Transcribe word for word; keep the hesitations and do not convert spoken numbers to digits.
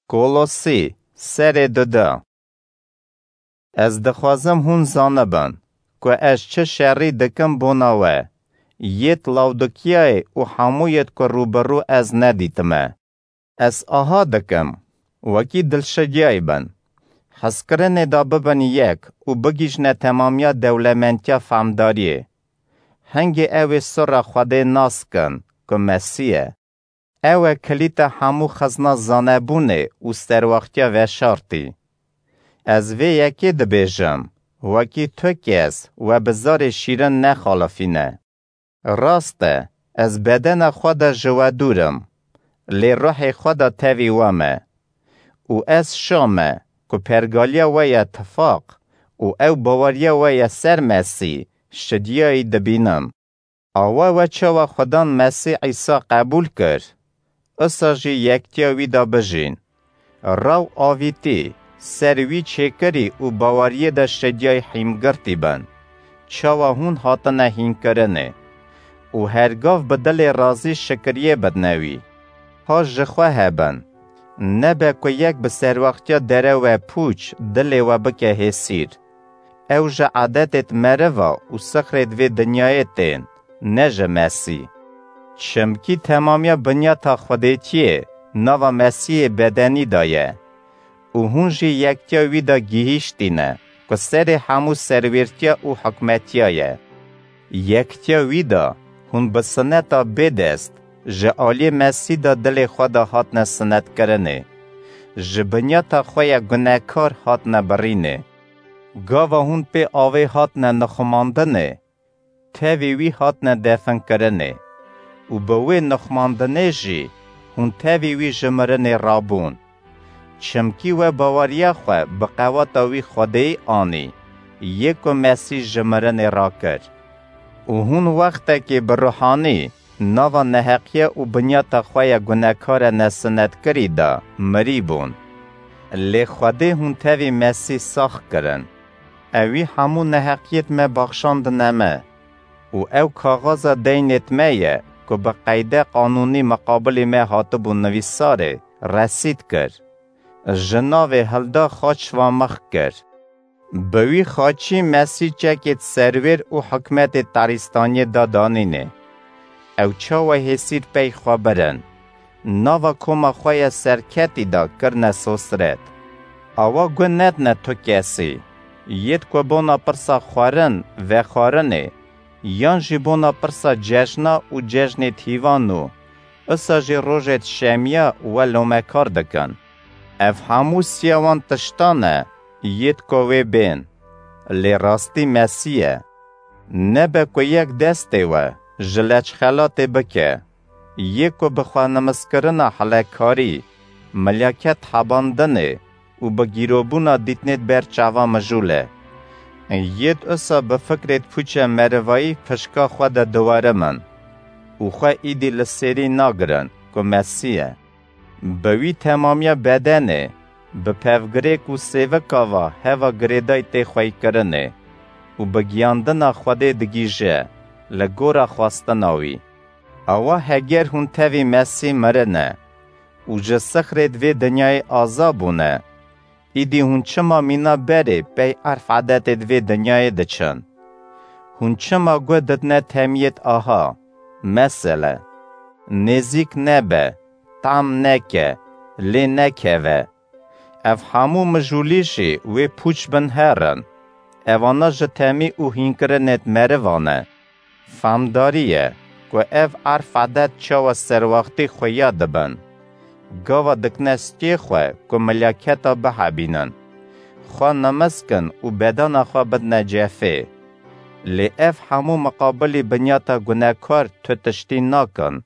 Kolosî, serê duda. Ez dixwazim hûn zanibin ku ez çi şerî dikim bona we, yêt Lawdikiyayê û hemû yêt ku rûbirû ez nedîtime. Ez aha dikim, wekî dilşidyayî bin. Hezkirinê de bibin yek û bigihîjne temamiya dewlementiya fehmdariyê. Hingê ew ê sirra Xwedê nas kin ku Mesîh e. Ew e kilîta hemû xizna zanebûnê û serwaxtiya veşartî. Ez vê yekê dibêjim, wekî tu kes we bi zarê şîrin nexalifîne. Rast e, ez bedena xwe de ji we dûr im, lê ruhê xwe de tevî we me. Û ez şa me ku pergaliya we ye tifaq û ew baweriya we ye ser Mesîh şidiyayî dibînim. Awa we çawa Xudan Mesîh Îsa qebûl kir, usa jî yektiya wî de bijîn. Raw avîtî, ser wî çêkirî û baweriyê de şediyayî hîmgirtî bin. Çawa hûn hatine hînkirinê û her gav bi dilê razî şikiriyê bidne wî. Ha ji xwe hebin. Nebe ku yek bi serwaxtiya derew e pûç dilê we bike hêsîr. Ew ji edetêt meriva û sixrêt vê dinyayê tên, ne ji Mesî. Çimkî temamiya binyata Xwedêtiyê nava Mesîhê bedenî de ye û hûn jî yektiya wî de gihîştîne ku serê hemû serwêrtiya û hikmetiya ye. Yektiya wî de hûn bi sineta bêdest ji aliyê Mesî de dilê xwe de hatine sinetkirinê. Ji binyata xwe ya gunekar hatine birînê. Gava hûn pê avê hatine nixumandinê, tevî wî hatine definkirinê û bi wê nixumandinê jî hûn tevî wî ji mirinê rabûn. Çimkî we baweriya xwe bi qewata wî Xwedêyî anî, yê ku Mesîh ji mirinê rakir. Û hûn wextekê bi ruhanî nava neheqiye û binyata xwe ya gunekare nesinetkirî de mirî bûn. Lê Xwedê hûn tevî Mesîh sax kirin. Ewî hemû neheqiyêt me baxşandine me û ew kaxaza deynêt me ye ku bi qeyde qanûnî miqabilî me hatibû nivîsarê, resîd kir. Ji navê hilda xaç va mix kir. Bi wî xaçî Mesîh çekêt serwêr û hikmetê tarîstaniyê da danînê. Ew çawa hêsîr pey xwe birin. Nava koma xwe ya serketî de kirine sosret. Awa gu nedine tu kesî, yêt ku bona pirsa xwarin, vexwarinê, yan jî bona pirsa cejna û cejnê tîvan û usa jî rojêt şemiya we lomekar dikin. Ev hemû siya wan tiştan e, yêt ku wê bên. Lê rastî Mesîh e. Nebe ku yek destê we ji leçxelatê bike, yê ku bi xwenimiskirina hilekarî, milyaket hebandinê û bi gîrobûna dîtinê di ber çava mijûl e. Yêd usa bi fikrêd pûçe merivayî fişka xwe de diwarim in û xwe îdî li sêrî nagirin ku Mesîh e. Bi wî temamiya bedenê, bi pevgirêk û sêvika va heva girêdayî tê xweykirinê û bi giyandina Xwedê digihîje li gora xwestina wî. Awa heger hûn tevî Mesîh mirine û ji sixrêd vê dinyayê aza bûne, îdî hûn çima mîna berê pey erf edetêd vê dinyayê diçin? Hûn çima gu didine temiyêd aha, mesele, nêzîk nebe, tam neke, lê nekeve? Ev hemû mijûlî jî wê pûç bin herin. Evana ji temî û hînkirinêd merivan e. Famdarî ye ku ev erf edet çawa serwaxtî xuya dibin. Gava dikine stiyê xwe ku milyaketa bihebînin. Xwe nimisk in û bedena xwe bidine cefê. Lê ev hemû miqabilî binyata gunekar tu tiştî nakin.